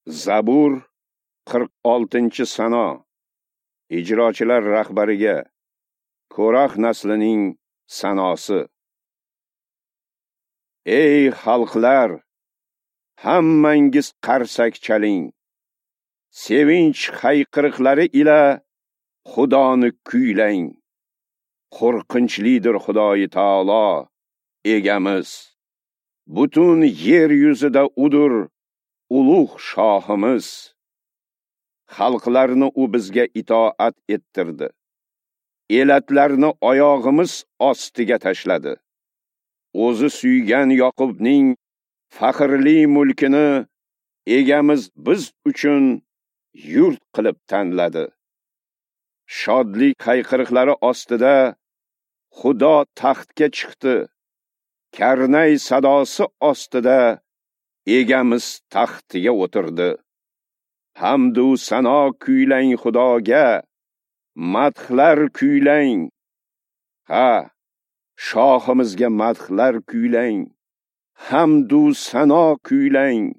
Zabur 46-sano. Ijrochilar rahbariga Ko'rax naslining sanosi. Ey xalqlar, hammangiz qarsak chaling. Sevinch hayqiriqlari ila Xudoni kuylang. Qo'rqinchlidir Xudoyi taolo, egamiz. Butun yer yuzida udur ulug' shohimiz. Xalqlarni u bizga itoat ettirdi. Elatlarni oyog'imiz ostiga tashladi. O'zi suygan Yoqubning faxrli mulkini egamiz biz uchun yurt qilib tanladi. Shodlik hayqiriqlari ostida Xudo taxtga chiqdi. Karnay sadosi ostida egamiz taxtiga o'tirdi. Hamdu sano kuylang Xudoga, madhlar kuylang. Ha, shohimizga madhlar kuylang. Hamdu sano kuylang.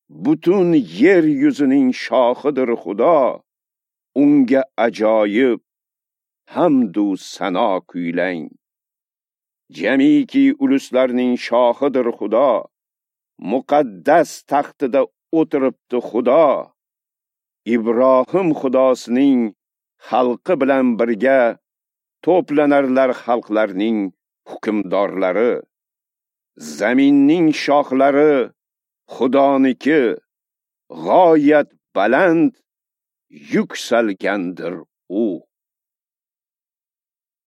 Butun yer yuzining shohidir Xudo. Unga ajoyib hamdu sano kuylang. Jamiki uluslarning shohidir Xudo. Muqaddas taxtida o'tiribdi Xudo. Ibrohim Xudosining xalqi bilan birga to'planarlar xalqlarning hukmdorlari. Zaminning shohlari Xudoniki, g'oyat baland yuksalgandir u.